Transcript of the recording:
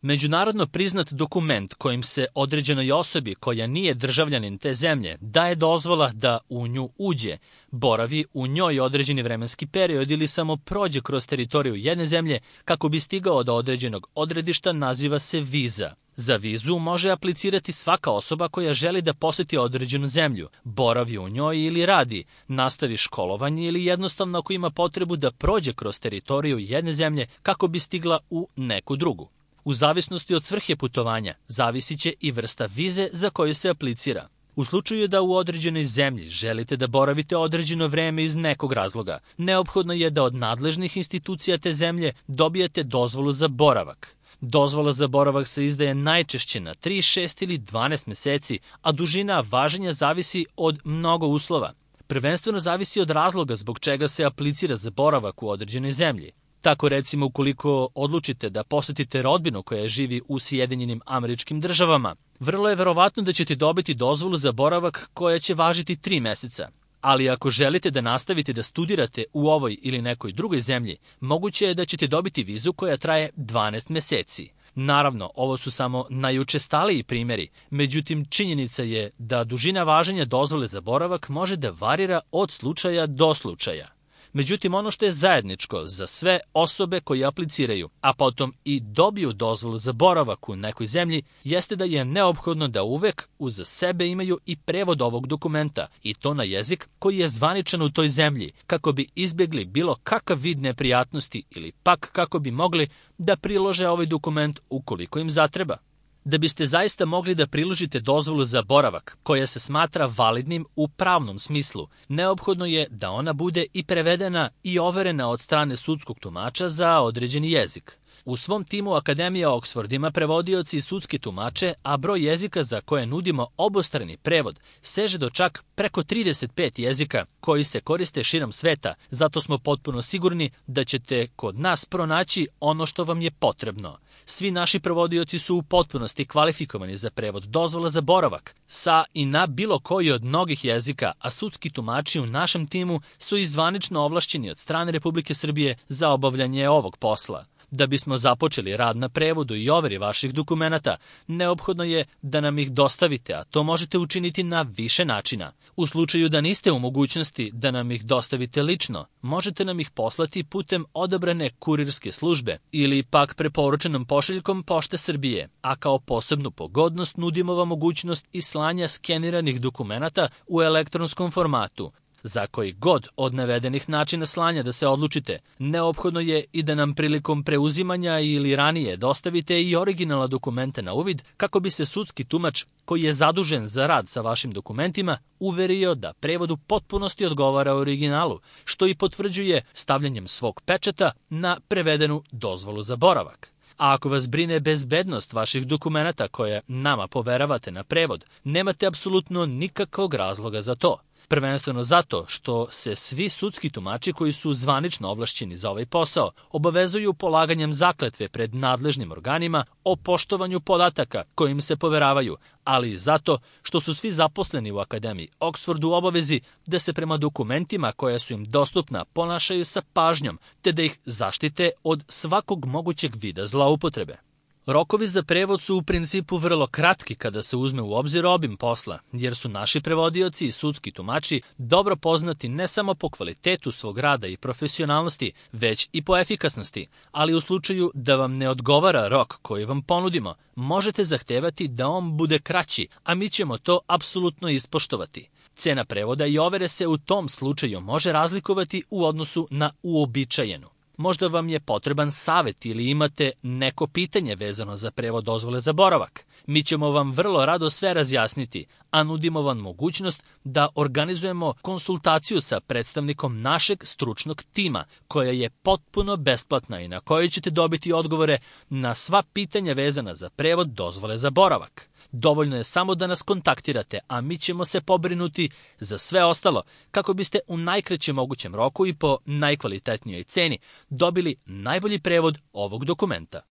Međunarodno priznat dokument kojim se određenoj osobi koja nije državljanin te zemlje daje dozvola da u nju uđe, boravi u njoj određeni vremenski period ili samo prođe kroz teritoriju jedne zemlje kako bi stigao do određenog odredišta naziva se viza. Za vizu može aplicirati svaka osoba koja želi da poseti određenu zemlju, boravi u njoj ili radi, nastavi školovanje ili jednostavno ako ima potrebu da prođe kroz teritoriju jedne zemlje kako bi stigla u neku drugu. U zavisnosti od svrhe putovanja, zavisit će i vrsta vize za koju se aplicira. U slučaju da u određenoj zemlji želite da boravite određeno vreme iz nekog razloga, neophodno je da od nadležnih institucija te zemlje dobijete dozvolu za boravak. Dozvola za boravak se izdaje najčešće na 3, 6 ili 12 meseci, a dužina važenja zavisi od mnogo uslova. Prvenstveno zavisi od razloga zbog čega se aplicira za boravak u određenoj zemlji. Tako recimo ukoliko odlučite da posetite rodbinu koja živi u Sjedinjenim Američkim Državama, vrlo je verovatno da ćete dobiti dozvolu za boravak koja će važiti 3 meseca. Ali ako želite da nastavite da studirate u ovoj ili nekoj drugoj zemlji, moguće je da ćete dobiti vizu koja traje 12 meseci. Naravno, ovo su samo najučestaliji primjeri, međutim činjenica je da dužina važenja dozvole za boravak može da varira od slučaja do slučaja. Međutim, ono što je zajedničko za sve osobe koje apliciraju, a potom i dobiju dozvolu za boravak u nekoj zemlji, jeste da je neophodno da uvek uz sebe imaju i prevod ovog dokumenta, i to na jezik koji je zvaničan u toj zemlji, kako bi izbjegli bilo kakav vid neprijatnosti ili pak kako bi mogli da prilože ovaj dokument ukoliko im zatreba. Da biste zaista mogli da priložite dozvolu za boravak, koja se smatra validnim u pravnom smislu, neophodno je da ona bude i prevedena i overena od strane sudskog tumača za određeni jezik. U svom timu Akademija Oxford ima prevodioci i sudske tumače, a broj jezika za koje nudimo obostrani prevod seže do čak preko 35 jezika koji se koriste širom sveta, zato smo potpuno sigurni da ćete kod nas pronaći ono što vam je potrebno. Svi naši prevodioci su u potpunosti kvalifikovani za prevod dozvola za boravak sa i na bilo koji od mnogih jezika, a sudski tumači u našem timu su i zvanično ovlašćeni od strane Republike Srbije za obavljanje ovog posla. Da bismo započeli rad na prevodu i overi vaših dokumenata, neophodno je da nam ih dostavite, a to možete učiniti na više načina. U slučaju da niste u mogućnosti da nam ih dostavite lično, možete nam ih poslati putem odabrane kurirske službe ili pak preporučenom pošiljkom Pošte Srbije, a kao posebnu pogodnost nudimo vam mogućnost i slanja skeniranih dokumenata u elektronskom formatu. Za koji god od navedenih načina slanja da se odlučite, neophodno je i da nam prilikom preuzimanja ili ranije dostavite i originalna dokumenta na uvid kako bi se sudski tumač koji je zadužen za rad sa vašim dokumentima uverio da prevod u potpunosti odgovara originalu, što i potvrđuje stavljanjem svog pečata na prevedenu dozvolu za boravak. A ako vas brine bezbednost vaših dokumenata koje nama poveravate na prevod, nemate apsolutno nikakvog razloga za to. Prvenstveno zato što se svi sudski tumači koji su zvanično ovlašćeni za ovaj posao obavezuju polaganjem zakletve pred nadležnim organima o poštovanju podataka kojim se poveravaju, ali i zato što su svi zaposleni u Akademiji Oxford u obavezi da se prema dokumentima koja su im dostupna ponašaju sa pažnjom, te da ih zaštite od svakog mogućeg vida zloupotrebe. Rokovi za prevod su u principu vrlo kratki kada se uzme u obzir obim posla, jer su naši prevodioci i sudski tumači dobro poznati ne samo po kvalitetu svog rada i profesionalnosti, već i po efikasnosti, ali u slučaju da vam ne odgovara rok koji vam ponudimo, možete zahtevati da on bude kraći, a mi ćemo to apsolutno ispoštovati. Cena prevoda i overe se u tom slučaju može razlikovati u odnosu na uobičajenu. Možda vam je potreban savet ili imate neko pitanje vezano za prevod dozvole za boravak. Mi ćemo vam vrlo rado sve razjasniti, a nudimo vam mogućnost da organizujemo konsultaciju sa predstavnikom našeg stručnog tima, koja je potpuno besplatna i na kojoj ćete dobiti odgovore na sva pitanja vezana za prevod dozvole za boravak. Dovoljno je samo da nas kontaktirate, a mi ćemo se pobrinuti za sve ostalo kako biste u najkraćem mogućem roku i po najkvalitetnijoj ceni dobili najbolji prevod ovog dokumenta.